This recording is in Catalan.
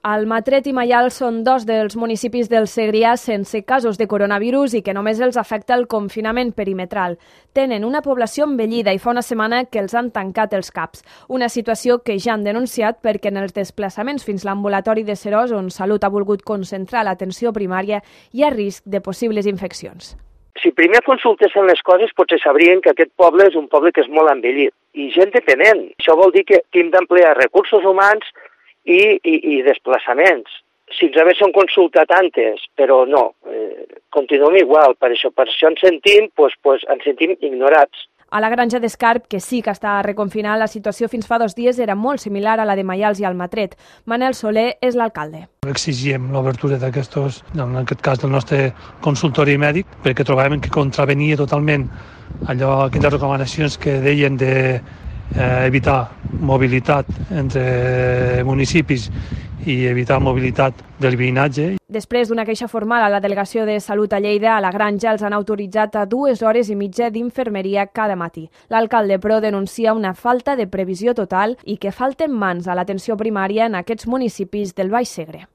Almatret i Maials són dos dels municipis del Segrià sense casos de coronavirus i que només els afecta el confinament perimetral. Tenen una població envellida i fa una setmana que els han tancat els CAPs. Una situació que ja han denunciat perquè en els desplaçaments fins l'ambulatori de Seròs, on Salut ha volgut concentrar l'atenció primària, hi ha risc de possibles infeccions. Si primer consultessin les coses, potser sabrien que aquest poble és un poble que és molt envellit i gent dependent. Això vol dir que hem d'emplear recursos humans i desplaçaments. Si ens haguessin consultat antes, però no, continuem igual, per això ens sentim ignorats. A la granja d'Escarp, que sí que està reconfinada, la situació fins fa 2 dies era molt similar a la de Maials i Almatret. Manel Soler és l'alcalde. Exigíem l'obertura d'aquestos, en aquest cas del nostre consultori mèdic, perquè trobàvem que contravenia totalment aquelles recomanacions que deien d'evitar mobilitat entre municipis i evitar mobilitat del veïnatge. Després d'una queixa formal a la Delegació de Salut a Lleida, a la granja els han autoritzat a 2 hores i mitja d'infermeria cada matí. L'alcalde, però, denuncia una falta de previsió total i que falten mans a l'atenció primària en aquests municipis del Baix Segre.